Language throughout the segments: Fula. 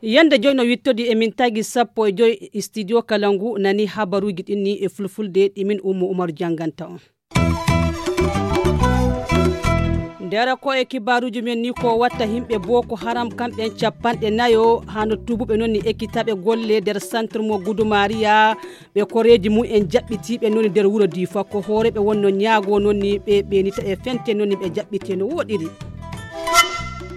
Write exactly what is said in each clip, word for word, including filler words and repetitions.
Yande joy no wittodi e min tagi sappo e joy studio kala ngu nani habaruji ɗin ni e fulfulde ɗi min ummo umaru janganta on. Ndera ko e kibaruji men ni ko watta himɓe boko haram kamɓen capanɗe nayo hano tubuɓe non ni ekkitaɓe golle nder centre mo gudumariya. Ɓe koreeji mum en jaɓɓitiiɓe non nder wuro diifa ko hooreɓe wonno ñaago non ni ɓe ɓeenita e fente non ni ɓe jaɓɓite no woɗiri.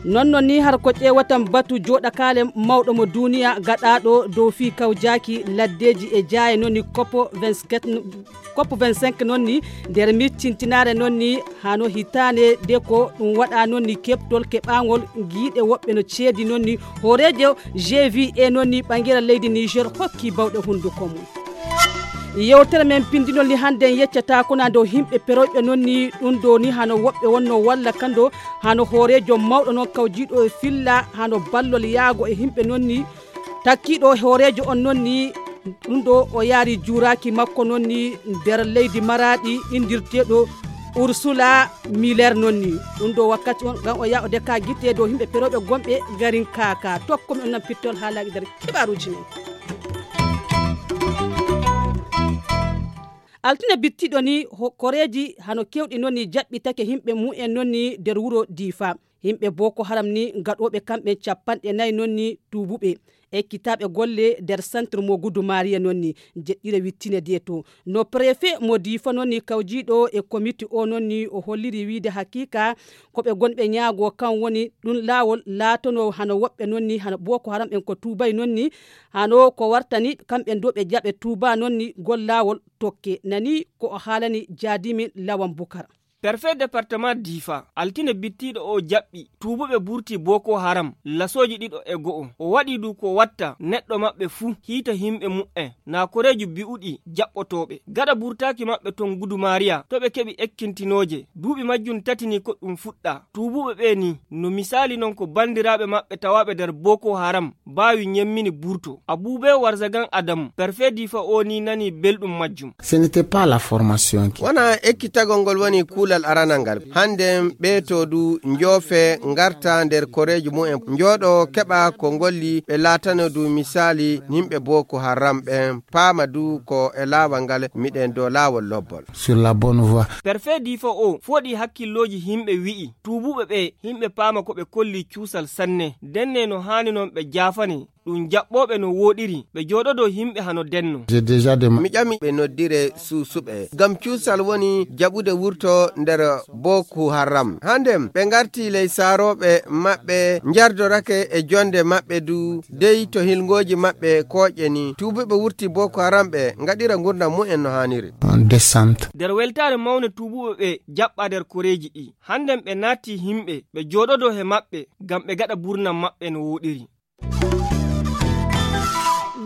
Non non ni har ko ƴeewatan batu jooɗakaale mawɗo mo duniya gaɗaaɗo dow fii kawjaaki laddeeji e jaaye non ni kopo vingt-quatre kopo vingt-cinq non ni nder miccintinaare non ni hano hitaande de ko ɗum waɗa non ni keɓtol keɓaangol giiɗe woɓɓe no ceedi non ni hooreejo gva non ni ɓangere leydi niger hokki bawɗe hunduko mum. Yewtere men pindinol ni hannde en yeccata kona dow himɓe peroyɓe non ni ɗum ɗo ni hano woɓɓe wonno walla kando hano hooreejo mawɗo noon kawjiiɗo e filla hano ballol yaago e himɓe non ni takkiiɗo hooreejo on non ni ɗum ɗo o yaari juuraaki makko non ni nder leydi maraaɗi inndirteeɗo ursula miller non ni ɗum ɗo wakkati on ngam o yaha o deka gite dow yimɓe perooɓe gonɓe garin kaka tokkomi on nan pittol haalaaji nder kibaaruuji men. Altine bittiɗo ni koreeji hano kewɗi non ni jaɓɓitake yimɓe mumen non ni nder wuro diifa. Yimɓe boko haram ni gaɗooɓe kamɓe capanɗe nayi non ni tuubuɓe ekkitaaɓe golle nder centre mo gudu maria non ni jeɗɗire wittine de to no préfet mo diifa non ni kawjiiɗo e komiti o non ni o holliri wiide haqiqa ko ɓe gonɓe ñaago kan woni ɗum laawol laatono hano woɓɓe non ni hano boko haram en ko tuubay non ni hano ko wartani kamɓe do ɓe jaɓe tuuba non ni gol laawol tokke nani ko o haalani jaadimin lawan bukar. Perfet département diifa altine bittiiɗo o jaɓɓi tuubuɓe burti boko haram lasooji ɗiɗo e go'o o waɗi du ko watta neɗɗo maɓɓe fuu hiita himɓe mu'en na koreeji bi'uɗi jaɓɓotooɓe gaɗa burtaaki maɓɓe ton gudu maariya to ɓe keɓi ekkintinooje duuɓi majjum tati ni ko ɗum fuɗɗa tuubuɓe ɓe ni no misaali non ko banndiraaɓe maɓɓe tawaaɓe nder boko haram baawi ñemmini burto abuubee warzagan adamu perfet diifa o ni nani belɗum majjum. Ce n'était pas la formation qui wona ekkitagol ngol woni kuulal aranal ngal hannden ɓeeto du njoofe ngarta nder koreeji mumen njooɗo keɓa ko ngolli ɓe laatano du misaali yimɓe boko haram ɓen paama du ko e laawol ngal miɗen dow laawol lobbol. Sur la bonne voie. Perfet diifa o fooɗi hakkillooji yimɓe wi'i tuubuɓe ɓe yimɓe paama ko ɓe kolli cuusal sanne denne no haani non ɓe jaafane ɗum jaɓɓooɓe no wooɗiri ɓe jooɗodoo yimɓe hano denno. Mi ƴami ɓe noddire suusuɓe ngam cuusal woni jaɓude wurto nder boko haram hannden ɓe ngarti ley saarooɓe maɓɓe njardorake e jonnde maɓɓe du dey to hilngooji maɓɓe kooƴe ni tuubuɓe wurti boko haram ɓe ngaɗira ngurndan mumen no haaniri. Descente. Nder weltaare mawnde tuubuɓe ɓe jaɓɓa nder koreeji ɗi hannden ɓe naatti yimɓe ɓe jooɗodoo he maɓɓe ngam ɓe ngaɗa burnan maɓɓe no wooɗiri.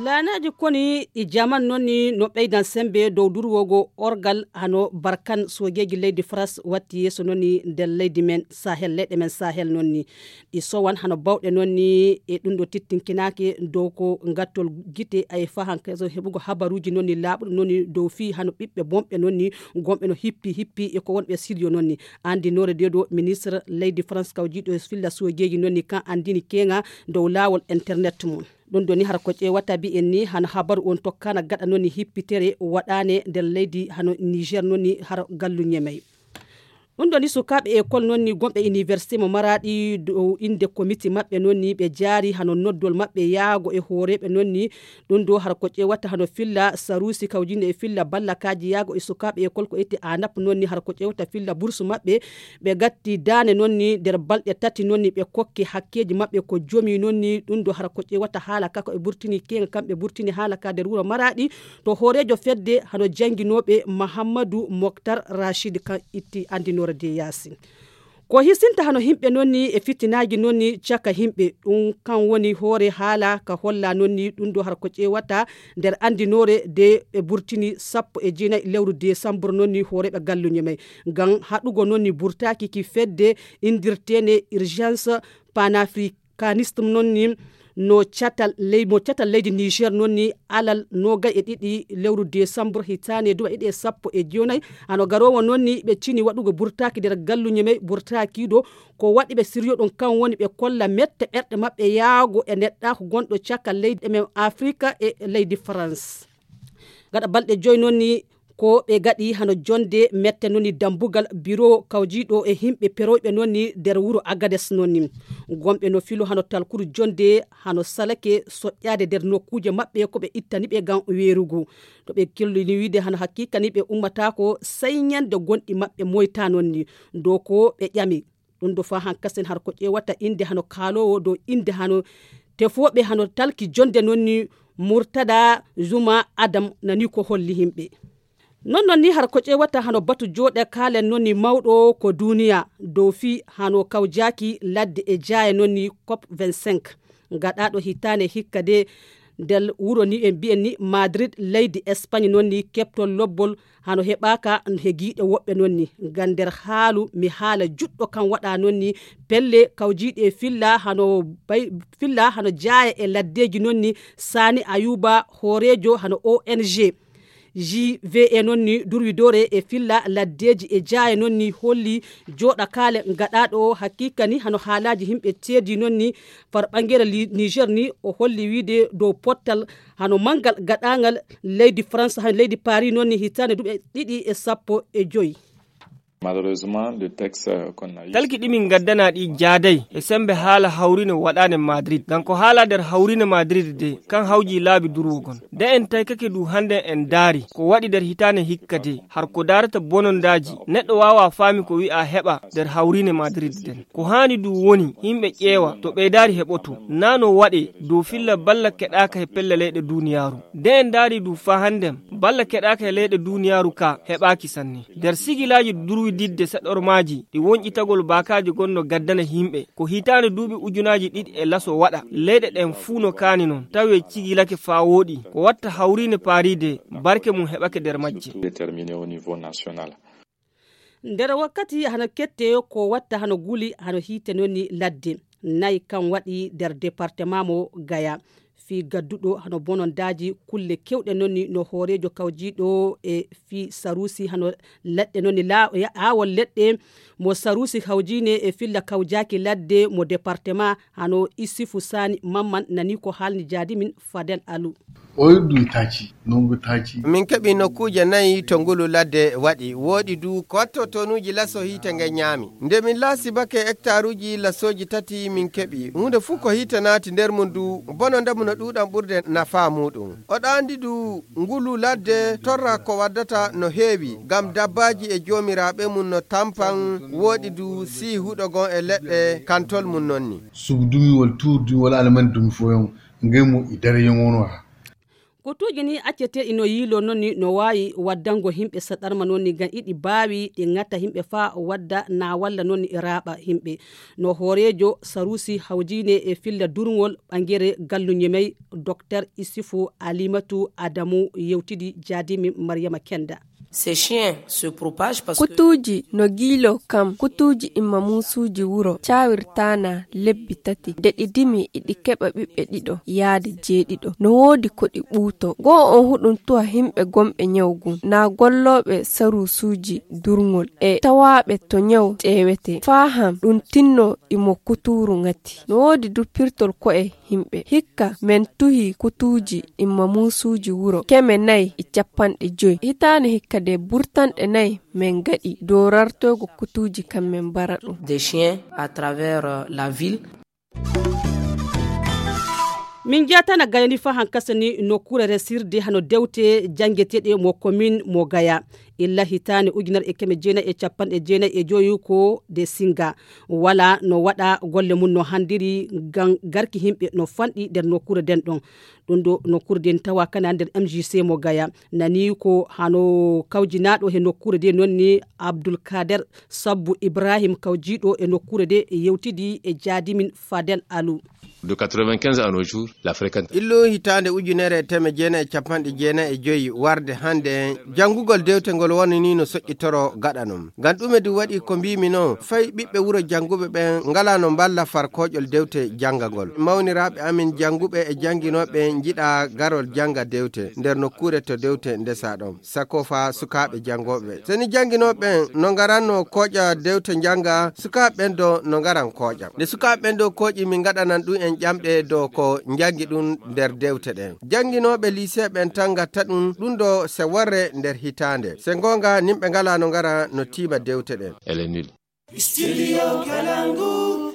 Laanaaji koni ɗi jaman non ni no ɓeydan semmbe dow durwogo orgal hano barkan soojeeji leydi faras watti yeeso non ni nder leydi men sahel leyɗe men sahel non ni ɗi sowan hano bawɗe non ni e ɗum ɗo tittinkinaake dow ko ngattol gite ay fahankeso heɓugo habaruuji non ni laaɓuɗo non ni dow fii hano ɓiɓɓe bonɓe non ni gonɓe no hippi hippi e ko wonɓe siriyo non ni anndinoore de ɗo ministre leydi france kawjiiɗo e filla soojeeji non ni kan anndini keeŋa dow laawol internet mum. Ɗum ɗo ni hara ko ƴeewata mbiyen ni hano habaru on tokkana gaɗa non ni hippitere waɗaane nder leydi hano niger non ni hara gallu ñemey. Ɗum ɗo ni sukaaɓe école non ni gonɓe université mo maraɗi dow innde komiti maɓɓe non ni ɓe jaari hano noddol maɓɓe yaago e hooreeɓe non ni ɗum ɗo hara ko ƴeewata hano filla saruusi kawjinde e filla ballakaaji yaago e sukaaɓe école ko itte anap non ni hara ko ƴeewata filla bursu maɓɓe ɓe gatti daane non ni nder balɗe tati non ni ɓe kokki hakkeeji maɓɓe ko jomi non ni ɗum ɗo hara ko ƴeewata haala ka ko ɓe burtini keeŋa kamɓe burtini haala ka nder wuro maraɗi to hooreejo fedde hano jannginooɓe mahammadu moktar rachid kan itti anndinoore de yaasin. Ko hisinta hano yimɓe non ni e fitinaaji non ni caka yimɓe ɗum kan woni hoore haala ka holla non ni ɗum ɗo hara ko ƴeewata nder anndinoore de ɓe burtini sappo e jeenayi lewru desambur non ni hooreeɓe galluñe may ngam haɗugo non ni burtaaki ki fedde inndirteene urgence panafricanisme non ni No catal ley mo catal leydi niger noon ni alal noogay e ɗiɗi lewru desambur hitaande duuɓi ɗiɗi e sappo e jeenayi. Hano garoowo noon ni ɓe cini waɗugo burtaaki nder galluñe may burtaakiiɗo. Ko waɗi ɓe siryo ɗum kan woni ɓe kolla mette ɓerɗe maɓɓe yaago e neɗɗaaku gonɗo caka leydi men afrika e leydi farans. Gaɗa balɗe joyi noon ni ko ɓe gaɗi hano jonde mette noon ni dambugal biro kawjiiɗo e himɓe peroyɓe noon ni nder wuro agades noon ni. Gomɓe no filo hano talkuru jonde hano salake soƴƴaade nder nokkuuje maɓɓe ko ɓe ittani ɓe ngam weerugu. To ɓe kellini wiide hano hakkikani ɓe ummataako sey ñande gonɗi maɓɓe moyta noon ni dow ko ɓe ƴami. Ɗum ɗo faa hankasen har ko ƴeewata innde hano kaaloowo dow innde hano tefooɓe hano talki jonde noon ni murtada zuma adam nani ko holli yimɓe. Noon noon ni har ko ƴeewata hano batu jooɗe kaalen noon ni mawɗo ko duuniya dow fii hano kawjaaki ladde e jaaya noon ni cop vingt-cinq. Gaɗaaɗo hitaande hikka de nder wuro ni en mbiyen ni madrid leydi espagne noon ni keɓtol lobbol hano heɓaaka he giiɗe woɓɓe noon ni. Ngam nder haalu mi haala juɗɗo kan waɗa noon ni pelle kawjiiɗe filla hano bay filla hano jaaya e laddeeji noon ni. Saani ayuba hooreejo hano ong jve noon ni durwidoore e filla laddeeji e jaaya noon ni holli jooɗa kaale gaɗaaɗo o hakiika ni hano haalaaji yimɓe ceedi noon ni far ɓangere niger ni o holli wiide dow pottal hano manngal gaɗaangal leydi france hano leydi paris noon ni hitaande duuɓi ɗiɗi e sappo e joyi. Talki ɗi min ngaddana ɗi jaaday e sembe haala hawrine waɗaande madrid ngam ko haala nder hawrine madrid de kan hawji laabi durwugon de en taykake du hannde en daari ko waɗi nder hitaande hikka de har ko daarata bonondaaji neɗɗo waawa faami ko wi'a heɓa nder hawrine madrid den ko haani du woni yimɓe ƴeewa to ɓeydaari heɓoto naa no waɗe dow filla balla keɗaaka he pelle leyɗe duuniyaaru de en daari du faa hannden balla keɗaaka he leyɗe duuniyaaru ka heɓaaki sanne nder sigilaaji durwididde saɗormaaji ɗi wonƴitagol baakaaji gonno gaddana yimɓe ko hitaande duuɓi ujunaaji ɗiɗi e laso waɗa leyɗe ɗen fuu no kaani non tawi cigilake faa wooɗi ko watta hawriinde paariide barke mum heɓake nder majje. Nder wakkati hano kette ko watta hano guli hano hiite noni ladde nayi kan waɗi nder département mo gaya fii gadduɗo hano bonondaaji kulle kewɗe noni no hooreejo kawjiiɗo e fii saruusi hano leɗɗe noni laawol leɗɗe mo saruusi hawjiine e filla kawjaaki ladde mo département hano isifu saani mamman nani ko haalni jaadi min fadel alu. O yuddu itaci nongu taci. Min keɓi nokkuuje nayi to ngulu ladde waɗi wooɗi du ko watto tonuuji laso hiite nge ñaami nde min laasi bake hectaruuji lasooji tati min keɓi huunde fuu ko hiite naati nder mum du bono ndemu no ɗuuɗan ɓurde nafaa muuɗum oɗo anndi du ngulu ladde torra ko waddata no heewi ngam dabbaaji e joomiraaɓe mum no tampan wooɗi du sii huɗo gon e leɗɗe kantol mum nonni. Sugu dumiwol tuur dumiwol alamani dumi foyon ngey mo i dara yongono ha. Kutuuji ni acceteeɗi no yiiloo noon ni no waawi waddango yimɓe saɗarma noon ni ngam iɗi baawi ɗi ŋata yimɓe faa wadda na walla noon ni raaɓa yimɓe. No hooreejo saruusi hawjiine e filla durŋol ɓangere galluñe may doktor isifu alimatu adamu yewtidi jaadimi maryama kenda. Ces chiens se propagent parce que. Kutuuji no giiloo kam kutuuji imma muusuuji wuro caawirtaanaa lebbi tati nde ɗi dimi iɗi keɓa ɓiɓɓe ɗiɗo yaade jeeɗiɗo no woodi ko ɗi ɓuuto goo on huɗum tuha himɓe gomɓe ñaw gun naa gollooɓe saruusuuji durŋol e tawaaɓe to ñaw ƴeewetee faa han ɗum tinnoo imo kutuuru ŋati no woodi du pirtol ko'e himɓe hikka men tuhi kutuuji imma muusuuji wuro keme nayi e cappanɗe joyi hitaande hikka de burtanɗe nayi men gaɗi dow rartoygo kutuuji kan men mbara ɗum. Des chiens à travers la ville. Min jatana gayani fa hankasa ni nokkure resirde hano dewte jangeteɗe mo commune mo gaya illa hitande ujunere e keme jeenayi e capanɗe jeenayi e joyi ko de singa wala no waɗa golle mum no handiri ngam garki yimɓe no fanɗi nder nokkure nden ɗon. Ɗum ɗo nokkuure nde tawa kana nder M J C mo Gaya. Nani ko hano kawjinaaɗo he nokkuure nde noon ni Abdul Kader Sabbu Ibrahim kawjiiɗo e nokkuure nde yewtidi e jaadimin Fadel Alu. De quatre-vingt-quinze à nos jours, la fréquente. Illu hitaande ujunere e teemedde jeenayi e capanɗe jeenayi e joyi warde hannde, janngugol dewte ngol woni ni no soƴƴitoro gaɗa noon. Ngam ɗume ɗum waɗi ko mbiimi noon, fay ɓiɓɓe wuro jannguɓe ɓen ngalaa no mballa far kooƴol dewte janngagol. Mawniraaɓe amin jannguɓe e jannginooɓe njiɗa garol jannga dewte nder nokkuure to dewte ndesaa ɗon. Sako fa sukaaɓe janngooɓe. So ni jannginooɓe ɓen no ngaranno kooƴa dewte njannga, sukaaɓe ɓen do no ngaran kooƴa. Nde sukaaɓe ɓen do kooƴi, min ngaɗanan ɗum en ƴamɗe dow ko njanngi ɗum nder dewte ɗen. Jannginooɓe lycée ɓen tan ngatta ɗum, ɗum do se worre nder hitaande. Se ngoonga, nimɓe ngalaa no ngara no tiima dewte ɗen. Elle est nulle. Studio Kalangu.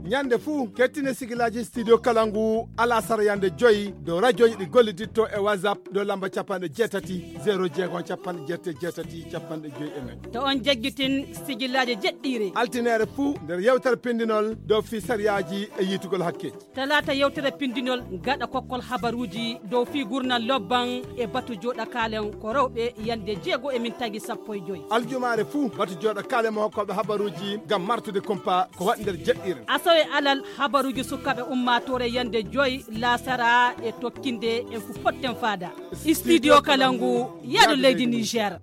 Ñande fuu, kettine sigilaaji Studio Kalangu, alasara yande joyi, dow rajooji ɗi golliditto e WhatsApp, dow lamba capanɗe jeetati, zero jeego, capanɗe jeetati, capanɗe joyi e nayi. To on jaggitin sigilaaji jeɗɗiire. Altineere fuu, nder yewtere pindinol, dow fii sariyaaji e yiitugol hakkeeji. Talaata yewtere pindinol, gaɗa kokkol habaruuji, dow fii gurnal lobban e batu jooɗa kaalen ko rewɓe yande jeego e min tagi sappo e joyi. Aljumaare fuu, batu jooɗa kaale mo hokkooɓe habaruuji ngam martude kumpa ko waɗi nder jeɗɗiire. Asawe alal, habaruuji sukaaɓe ummaatoore yande joyi laasara e tokkinde en fu potten faada. Studio Kalangu, yaadu leydi Niger.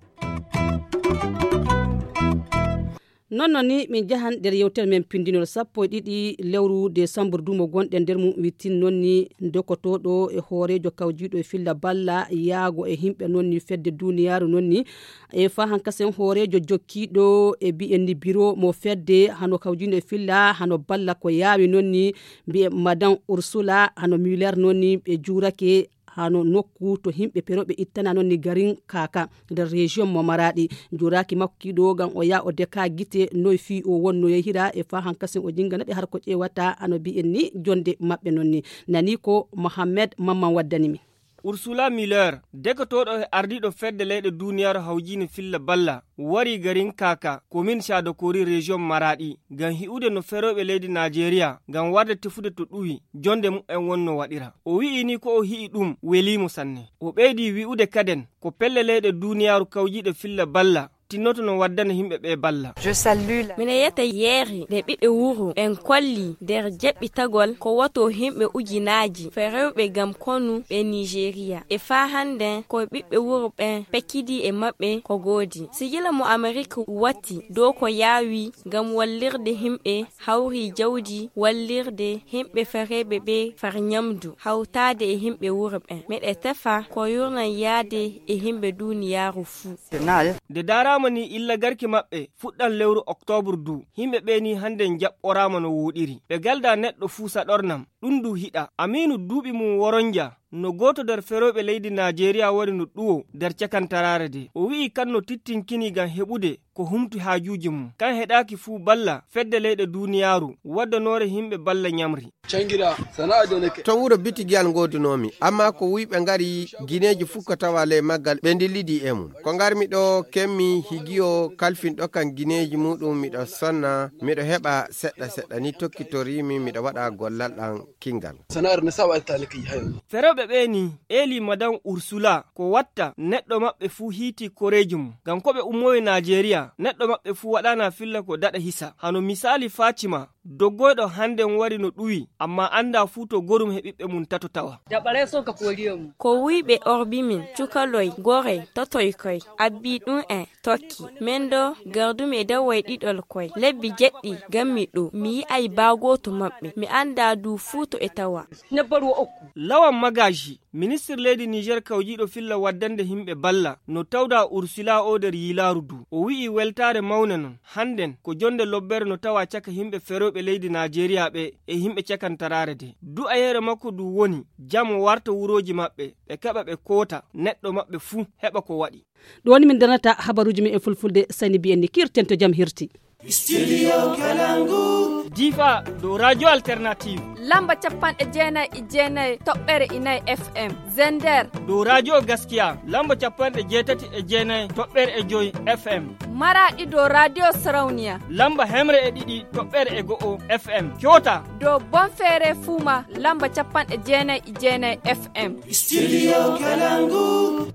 Non non ni min njahan nder yewtere men pindinol sappo e ɗiɗi lewru desambur dumo gonɗen nder mum wittin non ni dokotooɗo e hooreejo kawjiiɗo e filla balla yaago e himɓe non ni fedde duniyaaru non ni e fa hankasen hooreejo jokkiiɗo e mbiyen ni biro mo fedde hano kawjiiɗo e filla hano balla ko yaawi non ni mbiyen madan ursula hano muller non ni ɓe juurake hano nokku to himɓe perooɓe ittana non ni garin kaka nder région mo maraɗi juraki makko kiɗo ngam o ya o deka gite noy fi o wonno yehira e fa hankasin o jingana ɓe har ko ƴewata ano mbiyen ni jonde maɓɓe non ni nani ko mohammed mamman waddani mi. Ursula Miller, dekotooɗo e ardiiɗo fedde leyɗe duniyaaru hawjiine filla balla, warii garin Kaaka, komin Caadokori, rejiyon Maraaɗi, ngam hi'ude no ferooɓe leydi Naajeeriya ngam warde tefude to ɗuwi, jonnde mumen wonno waɗira. O wi'i ni ko o hi'i ɗum welii mo sanne. O ɓeydii wi'ude kaden ko pelle leyɗe duuniyaaru kawjiiɗe filla balla tinnoto no waddana yimɓe ɓee balla. Miɗo yetta yeeri nde ɓiɓɓe wuro ɓen kolli nder jeɓɓitagol ko woto yimɓe ujunaaji ferooɓe ngam konu ɓe Niijeeriya. E faa hannden ko ɓiɓɓe wuro ɓen pekkidii e maɓɓe ko goodi. Sigila mo Amerik watti dow ko yaawi ngam wallirde yimɓe hawri jawdi wallirde yimɓe fereeɓe ɓe far ñamdu, hawtaade e yimɓe wuro ɓen. Miɗo tefa ko yurnan yaade e yimɓe duuniyaaru fuu. Nde daaraama ni illa garki maɓɓe fuɗɗan lewru oktoobre du, yimɓe ɓe ni hannden jaɓɓoraama no wooɗiri. Ɓe galda neɗɗo fuu saɗornam, ɗum du hiɗa. Amiinu duuɓi mum woronja no gooto nder ferooɓe leydi Naajeeriya wari no ɗuwo nder cakantaraare de. O wi'i kan no tittinkini ngam heɓude ko humti haajuuji mum. Kan heɗaaki fuu balla fedde leyɗe duuniyaaru waddanoore yimɓe balla ñamri. To wuro bitigiyal ngoodunoomi, ammaa ko wuyɓe ngari gineeji fuu ko tawa ley maggal ɓe ndillidii e mum. Ko ngarmi ɗo kemmi higiyo kalfinɗo kan gineeji muuɗum miɗo sonna, miɗo heɓa seɗɗa seɗɗa ni tokkitoriimi miɗo waɗa gollal ɗan kinngal. Sana'ar na sa waɗi taliki hayo. Ferooɓe ɓee nii eelii Madan Ursula ko watta neɗɗo maɓɓe fuu hiitii koreeji mum. Ngam ko ɓe ummowii Naajeeriya, neɗɗo maɓɓe fuu waɗaana filla ko daɗa hisa. Hano misaali Faatima, doggoyɗo hannden wari no ɗuwi, ammaa anndaa fuu to gorum he ɓiɓɓe mum tato tawa. Ko wuyɓe orbi min, cukaloy, goroy, totoy koy, abbii ɗum en. Tokki, men ɗo gardumi e daway ɗiɗol koy. Lebbi jeɗɗi gammi ɗo, mi yi'ay baa gooto maɓɓe. Mi anndaa du fuu to e tawa. Lawan Magaji, ministir leydi Niger kawjiiɗo filla waddande yimɓe balla, no tawda Ursula o nder yiilaaru du. O wi'i weltaare mawne non. Hannden, ko jonde lobbere no tawa caka yimɓe ferooɓe leydi Naajeeriya ɓe e yimɓe cakantaraare de. Du'ayeere makko du woni, jamo warta wurooji maɓɓe, ɓe keɓa ɓe koota, neɗɗo maɓɓe fuu heɓa ko waɗi. Ɗo woni min darnata habaruuji men e fulfulde, sani mbiyen ni kirten to jam hirti. Studio Kalangu. Difa dow Radio Alternative. Lamba capanɗe jeenayi e jeenayi toɓɓere inayi F M. Zender. Dow Radio Gaskiya, lamba capanɗe jeetati e jeenayi toɓɓere e joyi F M. Maraɗi dow Radio Sarauniya. Lamba hemre e ɗiɗi toɓɓere e go'o F M. Kyota. Dow Bonfere Fuma, lamba capanɗe jeenayi e jeenayi F M. Studio Kalangu.